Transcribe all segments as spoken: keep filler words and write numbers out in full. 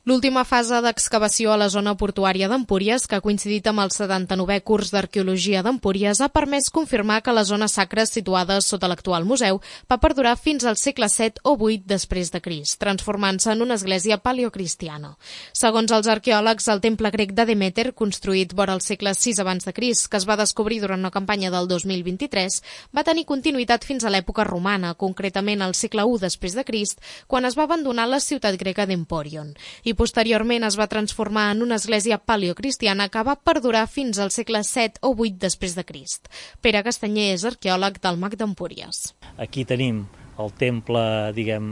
L'última fase d'excavació a la zona portuària d'Empúries, que ha coincidit amb el setanta-novè curs d'Arqueologia d'Empúries, ha permès confirmar que la zona sacra situada sota l'actual museu va perdurar fins al segle set o vuit després de Crist, transformant-se en una església paleocristiana. Segons els arqueòlegs, el temple grec de Demeter, construït vora el segle sis abans de Crist, que es va descobrir durant una campanya del dos mil vint-i-tres, va tenir continuïtat fins a l'època romana, concretament al segle u després de Crist, quan es va abandonar la ciutat grega d'Empòrion. I posteriorment es va transformar en una església paleocristiana que va perdurar fins al segle set o vuit després de Crist. Pere Castanyer és arqueòleg del Mag d'Empúries. Aquí tenim el temple, diguem,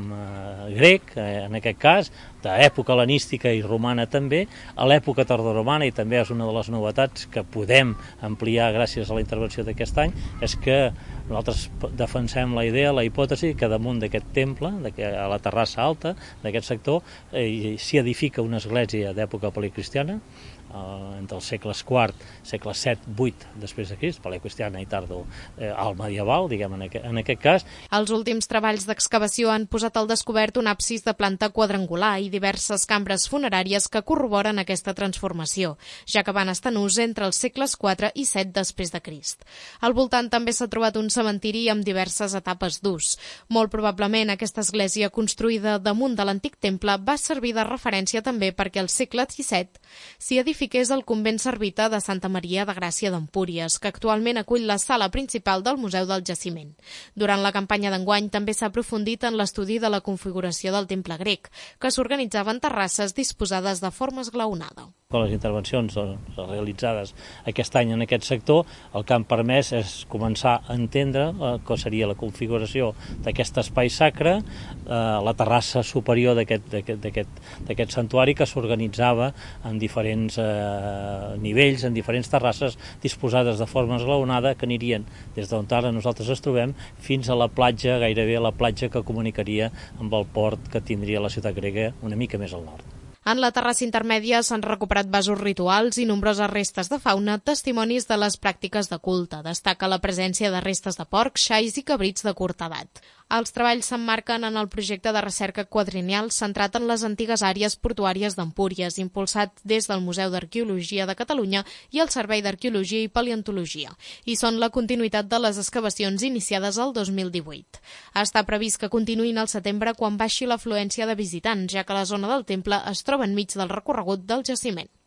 grec, en aquest cas, d'època hel·lenística i romana també, a l'època tardoromana, i també és una de les novetats que podem ampliar gràcies a la intervenció d'aquest any, és que nosaltres defensem la idea, la hipòtesi, que damunt d'aquest temple, a la terrassa alta d'aquest sector, s'hi edifica una església d'època paleocristiana, entre els segles quart, segle set, vuit després de Crist, paleocristiana i tardo al medieval, diguem, en aquest cas. Els últims treballs d'excavació han posat al descobert un absis de planta quadrangular i diverses cambres funeràries que corroboren aquesta transformació, ja que van estar en ús entre els segles quatre i set després de Crist. Al voltant també s'ha trobat un cementiri amb diverses etapes d'ús. Molt probablement aquesta església construïda damunt de l'antic temple va servir de referència també perquè al segle disset s'hi edifiqués el convent servita de Santa Maria de Gràcia d'Empúries, que actualment acull la sala principal del Museu del Jaciment. Durant la campanya d'enguany també s'ha aprofundit en l'estudi de la configuració del temple grec, que s'organitzava en terrasses disposades de forma esglaonada. Amb les intervencions realitzades aquest any en aquest sector, el que han permès és començar a entendre què seria la configuració d'aquest espai sacre, la terrassa superior d'aquest santuari, que s'organitzava en diferents nivells, en diferents terrasses disposades de forma esglaonada, que anirien des d'on ara nosaltres ens trobem fins a la platja, gairebé a la platja que comunicaria amb el port que tindria la ciutat grega una mica més al nord. En la terrassa intermèdia s'han recuperat vasos rituals i nombroses restes de fauna, testimonis de les pràctiques de culte. Destaca la presència de restes de porcs, xais i cabrits de curta edat. Els treballs s'emmarquen en el projecte de recerca quadrienal centrat en les antigues àrees portuàries d'Empúries, impulsat des del Museu d'Arqueologia de Catalunya i el Servei d'Arqueologia i Paleontologia, i són la continuïtat de les excavacions iniciades el dos mil divuit. Està previst que continuïn al setembre quan baixi l'afluència de visitants, ja que la zona del temple es troba enmig del recorregut del jaciment.